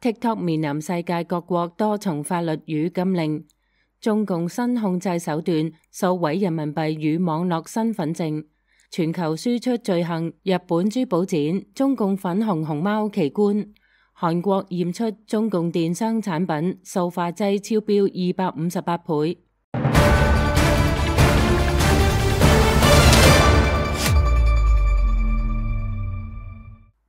TikTok 面臨世界各國多重法律與禁令，中共新控制手段掃毀人民幣與網絡身份證，全球輸出罪行，日本珠寶展中共粉紅熊貓奇觀，韓國驗出中共電商產品塑化劑超標258倍。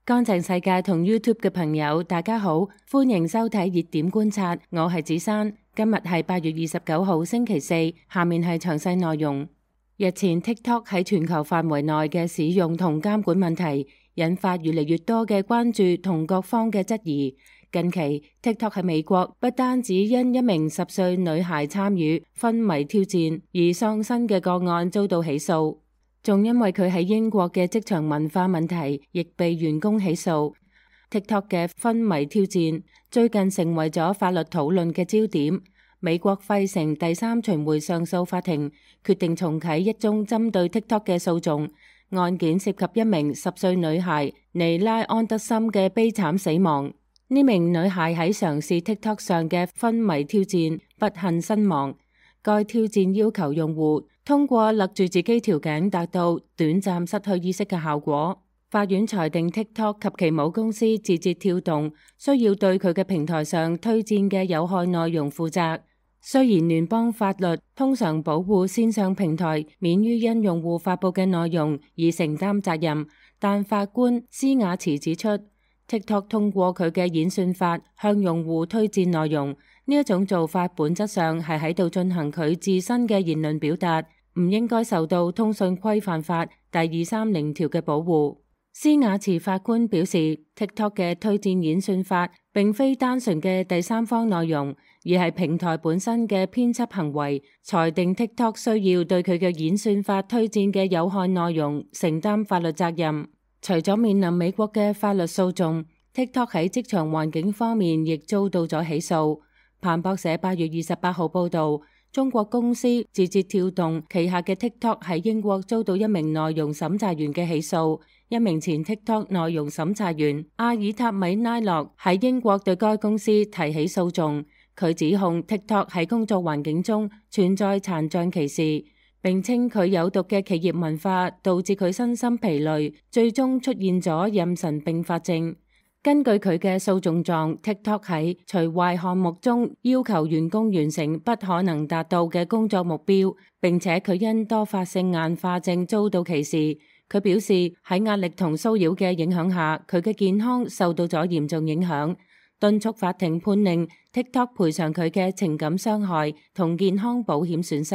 乾淨世界同 YouTube 嘅朋友，大家好，歡迎收睇熱點觀察，我係子珊。今日係8月29號星期四，下面係詳細內容。日前 TikTok 喺全球範圍內嘅使用同監管問題，引發越嚟越多嘅關注同各方嘅質疑。近期 TikTok 喺美國不單止因一名10歲女孩參與昏迷挑戰而喪生嘅個案遭到起訴，仲因為佢喺英國嘅職場文化問題，亦被員工起訴。TikTok 嘅昏迷挑戰最近成為咗法律討論嘅焦點。美國費城第3巡迴上訴法庭決定重啟一宗針對 TikTok 嘅訴訟，案件涉及一名10歲女孩尼拉安德森嘅悲慘死亡。呢名女孩喺嘗試 TikTok 上嘅昏迷挑戰不幸身亡。該挑戰要求用戶通過勒住自己條頸達到短暫失去意識嘅效果。法院裁定 TikTok 及其母公司字節跳動需要對佢嘅平台上推薦嘅有害內容負責。雖然聯邦法律通常保護線上平台免於因用戶發佈嘅內容而承擔責任，但法官施雅茨指出， TikTok 通過佢嘅演算法向用戶推薦內容，呢一種做法本質上係喺度進行佢自身嘅言論表達，唔應該受到通訊規範法第230條嘅保護。施雅茨法官表示， TikTok 嘅推薦演算法並非單純嘅第三方內容，而係平台本身嘅編輯行為，裁定 TikTok 需要對佢嘅演算法推薦嘅有害內容承擔法律責任。除咗面臨美國嘅法律訴訟， TikTok 喺職場環境方面亦遭到咗起訴。彭博社8月28號報道，中國公司字節跳動旗下嘅 TikTok 喺英國遭到一名內容審查員嘅起訴。一名前 TikTok 內容審查員阿爾塔米拉洛喺英國對該公司提起訴訟，佢指控 TikTok 喺工作環境中存在殘障歧視，並稱佢有毒嘅企業文化導致佢身心疲累，最終出現咗妊娠併發症。根據佢嘅訴訟狀， TikTok 喺除壞項目中要求員工完成不可能達到嘅工作目標，並且佢因多發性硬化症遭到歧視。佢表示喺壓力同騷擾嘅影響下，佢嘅健康受到咗嚴重影響，敦促法庭判令 TikTok 賠償佢嘅情感傷害同健康保險損失。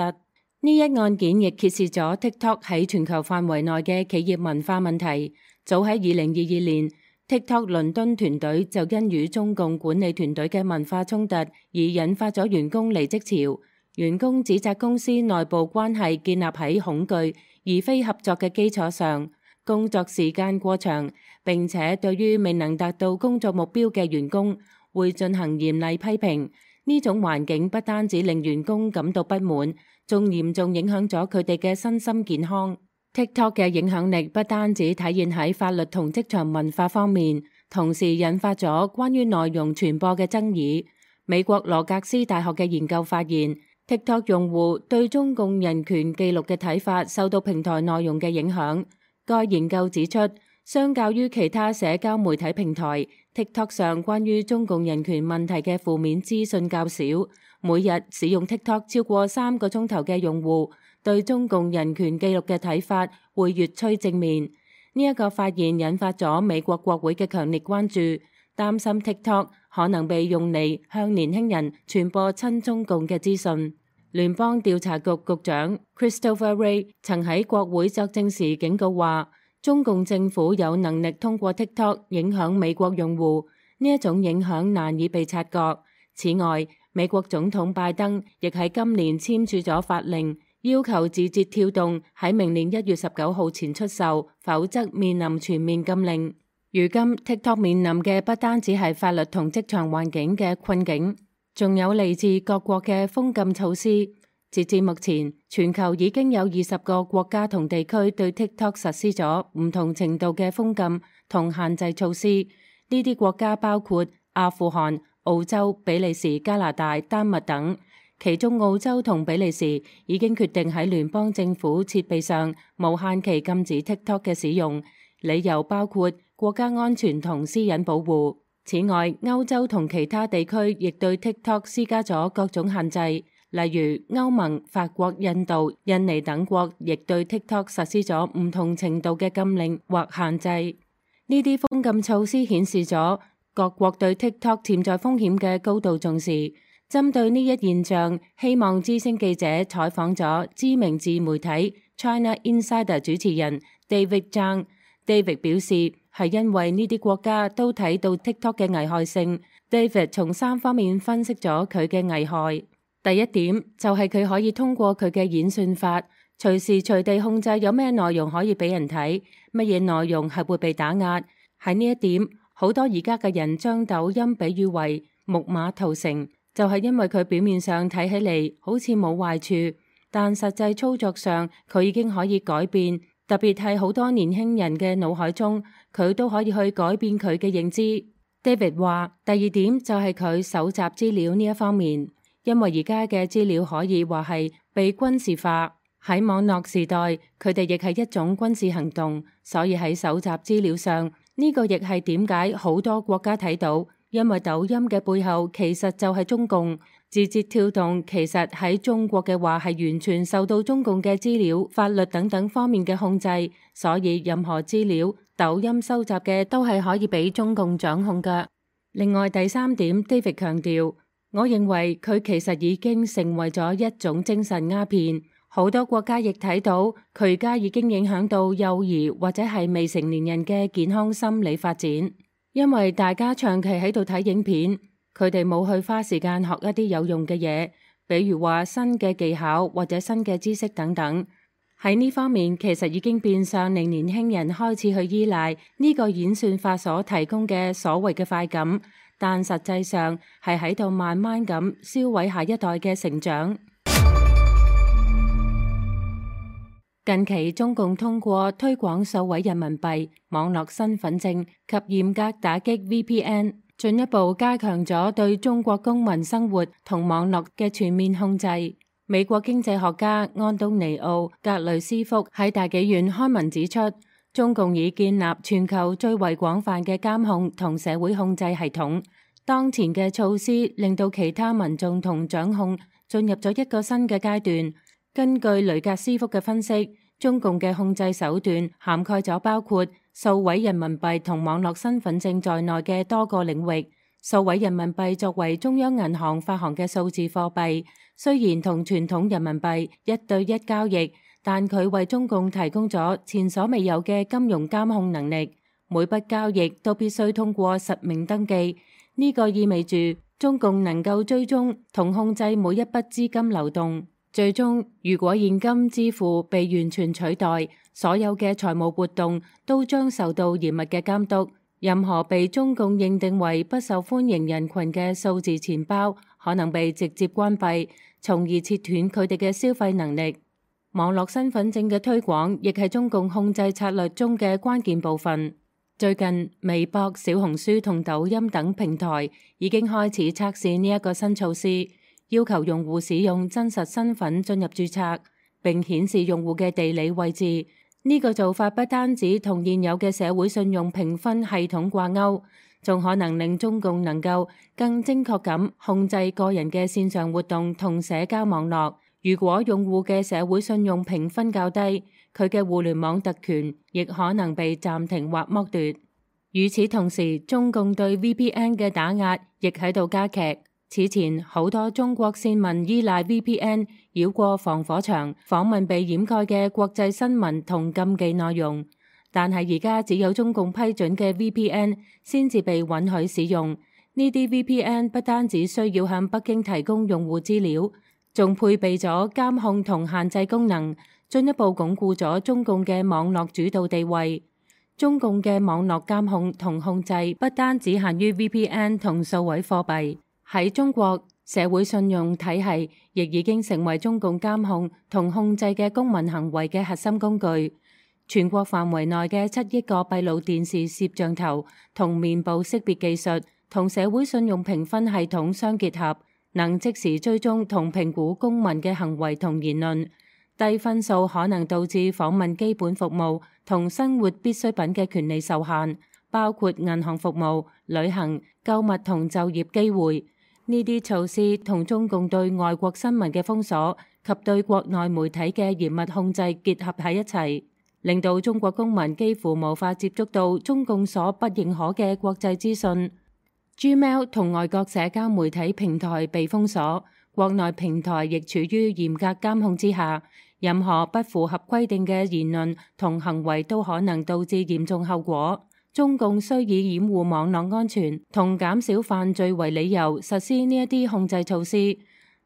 呢一案件亦揭示咗 TikTok 喺全球範圍內嘅企業文化問題。早喺2022年，TikTok 倫敦團隊就因與中共管理團隊嘅文化衝突而引發咗員工離職潮。員工指責公司內部關係建立喺恐懼而非合作嘅基礎上，工作時間過長，並且對於未能達到工作目標嘅員工會進行嚴厲批評。呢種環境不單止令員工感到不滿，仲嚴重影響咗佢哋嘅身心健康。TikTok 嘅影響力不單止體現喺法律同職場文化方面，同時引發咗關於內容傳播嘅爭議。美國羅格斯大學嘅研究發現，TikTok 用戶對中共人權記錄嘅睇法受到平台內容嘅影響。該研究指出，相較於其他社交媒體平台， TikTok 上關於中共人權問題嘅負面資訊較少。每日使用 TikTok 超過3個鐘頭嘅用戶對中共人權記錄嘅睇法會越趨正面。呢一個發現引發咗美國國會嘅強烈關注，擔心 TikTok 可能被用嚟向年輕人傳播親中共嘅資訊。聯邦調查局局長 Christopher Wray 曾喺國會作證時警告話，中共政府有能力通過 TikTok 影響美國用戶，呢一種影響難以被察覺。此外，美國總統拜登亦喺今年簽署咗法令，要求字節跳動喺明年1月19號前出售，否則面臨全面禁令。如今 TikTok 面臨嘅不單止係法律同職場環境嘅困境，仲有嚟自各國嘅封禁措施。截至目前，全球已經有20個國家同地區對 TikTok 實施咗唔同程度嘅封禁同限制措施。呢啲國家包括阿富汗、澳洲、比利時、加拿大、丹麥等。其中澳洲同比利時已經決定喺聯邦政府設備上無限期禁止 TikTok 嘅使用，理由包括國家安全同私隱保護。此外，歐洲同其他地區亦對 TikTok 施加咗各種限制，例如歐盟、法國、印度、印尼等國亦對 TikTok 實施咗唔同程度嘅禁令或限制。呢啲封禁措施顯示咗各國對 TikTok 潛在風險嘅高度重視。針對呢一現象，希望之聲記者採訪咗知名自媒體 China Insider 主持人 David Zhang。David 表示係因為呢啲國家都睇到 TikTok 嘅危害性。David 從3方面分析咗佢嘅危害。第一點就係佢可以通過佢嘅演算法，隨時隨地控制有咩內容可以俾人睇，乜嘢內容係會被打壓。喺呢一點，好多而家嘅人將抖音比喻為木馬屠城。就係因為佢表面上睇起嚟好似冇壞處，但實際操作上佢已經可以改變，特別係好多年輕人嘅腦海中，佢都可以去改變佢嘅認知。David 話，第二點就係佢搜集資料呢一方面，因為而家嘅資料可以話係被軍事化，喺網絡時代，佢哋亦係一種軍事行動，所以喺搜集資料上，呢個亦係點解好多國家睇到。因為抖音嘅背後其實就係中共，字節跳動其實喺中國嘅話係完全受到中共嘅資料、法律等等方面嘅控制，所以任何資料抖音收集嘅都係可以俾中共掌控㗎。另外第三點 ，David 強調，我認為佢其實已經成為咗一種精神鴉片，好多國家亦睇到佢而家已經影響到幼兒或者係未成年人嘅健康心理發展。因為大家長期喺度睇影片，佢哋冇去花時間學一啲有用嘅嘢，比如話新嘅技巧或者新嘅知識等等。喺呢方面，其實已經變相令年輕人開始去依賴呢個演算法所提供嘅所謂嘅快感，但實際上係喺度慢慢咁燒毀下一代嘅成長。近期中共通過推廣數位人民幣、網絡身份證及嚴格打擊 VPN，進一步加強咗對中國公民生活同網絡嘅全面控制。美國經濟學家安東尼奧·格雷斯福喺大紀元開文指出，中共已建立全球最為廣泛嘅監控同社會控制系統。當前嘅措施令到其他民眾同掌控進入咗一個新嘅階段。根據雷格斯福嘅分析，中共嘅控制手段涵蓋咗包括數位人民幣同網絡身份證在內嘅多個領域。數位人民幣作為中央銀行發行嘅數字貨幣，雖然同傳統人民幣一對一交易，但佢為中共提供咗前所未有嘅金融監控能力。每筆交易都必須通過實名登記，呢個意味住中共能夠追蹤同控制每一筆資金流動。最終，如果現金支付被完全取代，所有嘅財務活動都將受到嚴密嘅監督。任何被中共認定為不受歡迎人群嘅數字錢包，可能被直接關閉，從而切斷佢哋嘅消費能力。網絡身份證嘅推廣亦係中共控制策略中嘅關鍵部分。最近，微博、小紅書同抖音等平台已經開始測試呢一個新措施。要求用戶使用真實身份進入註冊，並顯示用戶嘅地理位置。呢個做法不單止同現有嘅社會信用評分系統掛鈎，仲可能令中共能夠更精確咁控制個人嘅線上活動同社交網絡。如果用戶嘅社會信用評分較低，佢嘅互聯網特權亦可能被暫停或剝奪。與此同時，中共對 VPN 嘅打壓亦喺度加劇。此前，好多中國線民依賴 VPN 繞過防火牆，訪問被掩蓋嘅國際新聞同禁忌內容。但係而家只有中共批准嘅 VPN 先至被允許使用。呢啲 VPN 不單只需要向北京提供用戶資料，仲配備咗監控同限制功能，進一步鞏固咗中共嘅網絡主導地位。中共嘅網絡監控同控制不單只限於 VPN 同數位貨幣。喺中國，社會信用體系亦已經成為中共監控同控制嘅公民行為嘅核心工具。全國範圍內嘅7億個閉路電視攝像頭同面部識別技術同社會信用評分系統相結合，能即時追蹤同評估公民嘅行為同言論。低分數可能導致訪問基本服務同生活必需品嘅權利受限，包括銀行服務、旅行、購物同就業機會。呢啲措施同中共對外國新聞嘅封鎖及對國內媒體嘅嚴密控制結合喺一齊，令到中國公民幾乎無法接觸到中共所不認可嘅國際資訊。Gmail 同外國社交媒體平台被封鎖，國內平台亦處於嚴格監控之下。任何不符合規定嘅言論同行為都可能導致嚴重後果。中共需以掩護網絡安全同減少犯罪為理由實施呢一啲控制措施，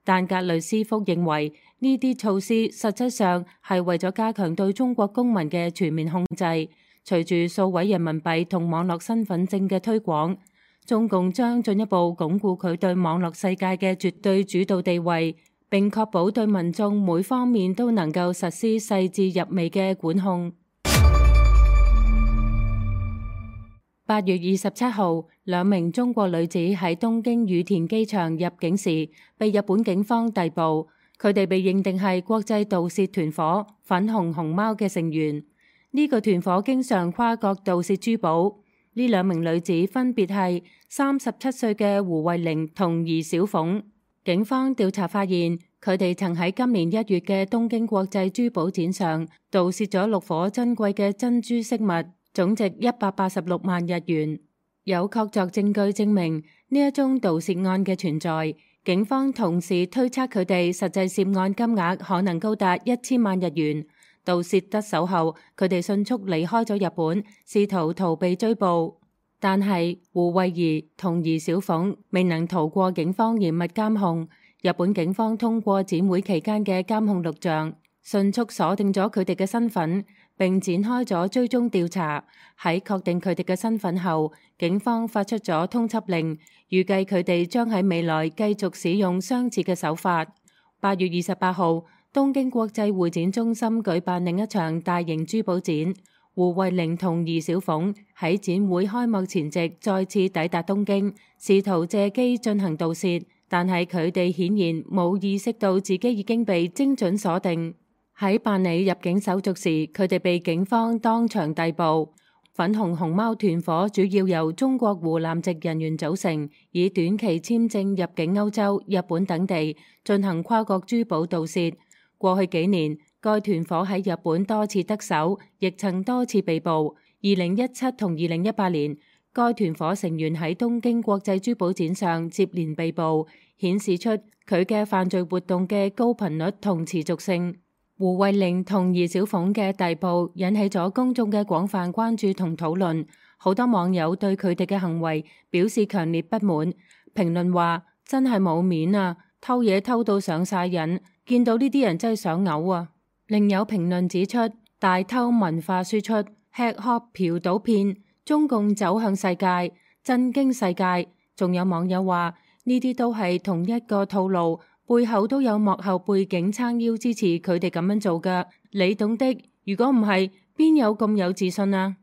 但格雷斯福認為呢啲措施實質上係為咗加強對中國公民嘅全面控制。隨住數位人民幣同網絡身份證嘅推廣，中共將進一步鞏固佢對網絡世界嘅絕對主導地位，並確保對民眾每方面都能夠實施細緻入微嘅管控。8月27號，兩名中國女子喺東京羽田機場入境時，被日本警方逮捕。佢哋被認定係國際盜竊團伙粉紅熊貓嘅成員。呢個團伙經常跨國盜竊珠寶。呢兩名女子分別係37歲嘅胡慧玲同宜小鳳。警方調查發現，佢哋曾喺今年1月嘅東京國際珠寶展上盜竊咗6顆珍貴嘅珍珠飾物，總值186萬日元。有確鑿證據證明呢一宗盜竊案嘅存在。警方同時推測佢哋實際涉案金額可能高達1000萬日元。盜竊得手後，佢哋迅速離開咗日本，試圖逃避追捕。但係胡慧儀同宜小鳳未能逃過警方嚴密監控。日本警方通過展會期間嘅監控錄像，迅速鎖定咗佢哋嘅身份，並展開咗追蹤調查。喺確定佢哋嘅身份後，警方發出咗通緝令，預計佢哋將喺未來繼續使用相似嘅手法。8月28號，東京國際會展中心舉辦另一場大型珠寶展。胡慧玲同宜小鳳喺展會開幕前夕再次抵達東京，試圖借機進行盜竊，但係佢哋顯然冇意識到自己已經被精準鎖定。喺辦理入境手續時，佢哋被警方當場逮捕。粉紅熊貓團伙主要由中國湖南籍人員組成，以短期簽證入境歐洲、日本等地進行跨國珠寶盜竊。過去幾年，該團伙喺日本多次得手，亦曾多次被捕。2017同2018年，該團伙成員喺東京國際珠寶展上接連被捕，顯示出佢嘅犯罪活動嘅高頻率同持續性。胡慧玲同宜小鳳嘅逮捕引起咗公眾嘅廣泛關注同討論，好多網友對佢哋嘅行為表示強烈不滿，評論話真係冇面啊，偷嘢偷到上晒癮，見到呢啲人真係想嘔啊！另有評論指出，大偷文化輸出，吃喝嫖賭騙，中共走向世界，震驚世界。仲有網友話呢啲都係同一個套路，背後都有幕後背景撐腰支持佢哋咁樣做㗎。你懂的，如果唔係，邊有咁有自信啊？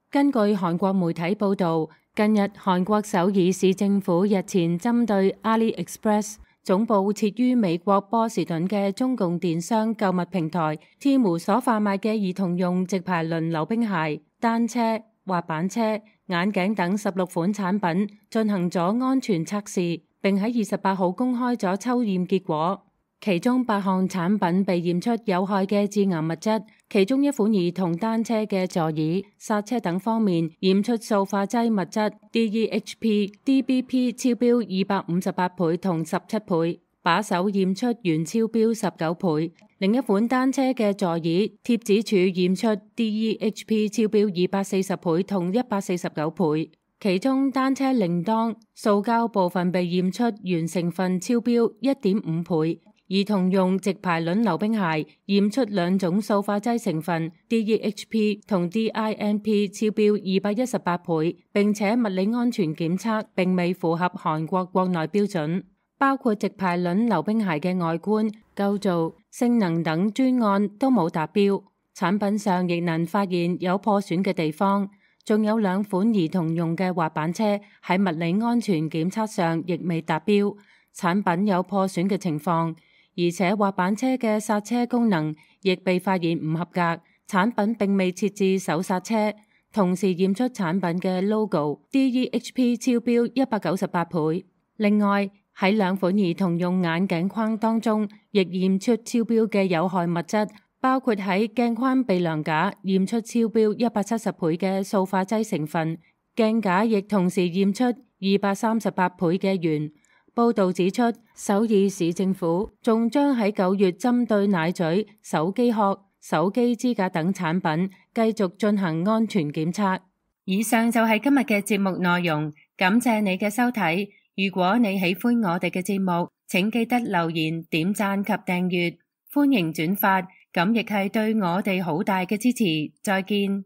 根據韓國媒體報道，近日韓國首爾市政府日前針對 AliExpress 總部設於美國波士頓嘅中共電商購物平台 Temu 所販賣嘅兒童用直排輪溜冰鞋、單車、滑板車、眼鏡等16款產品進行咗安全測試，並喺28號公開咗抽驗結果。其中8項產品被驗出有害嘅致癌物質，其中一款兒童單車嘅座椅、剎車等方面驗出塑化劑物質 DEHP、DBP 超標258倍同17倍，把手驗出原超標19倍。另一款單車嘅座椅貼紙柱驗出 DEHP 超標240倍同149倍，其中單車鈴鐺塑膠部分被驗出原成分超標1.5倍。兒童用直排輪溜冰鞋驗出2種塑化劑成分 DEHP 同 DINP 超標218倍，並且物理安全檢測並未符合韓國國內標準，包括直排輪溜冰鞋嘅外觀、構造、性能等專案都冇達標。產品上亦能發現有破損嘅地方。仲有2款兒童用嘅滑板車喺物理安全檢測上亦未達標，產品有破損嘅情況，而且滑板車嘅剎車功能亦被發現唔合格，產品並未設置手剎車，同時驗出產品嘅 logo DEHP 超標198倍。另外喺2款兒童用眼鏡框當中，亦驗出超標嘅有害物質，包括喺鏡框鼻梁架驗出超標170倍嘅塑化劑成分，鏡架亦同時驗出238倍嘅鉛。報導指出，首爾市政府仲將喺9月針對奶嘴、手機殼、手機支架等產品繼續進行安全檢測。以上就係今日嘅節目內容，感謝你嘅收睇。如果你喜歡我哋嘅節目，請記得留言、點讚及訂閱，歡迎轉發，咁亦係對我哋好大嘅支持。再見。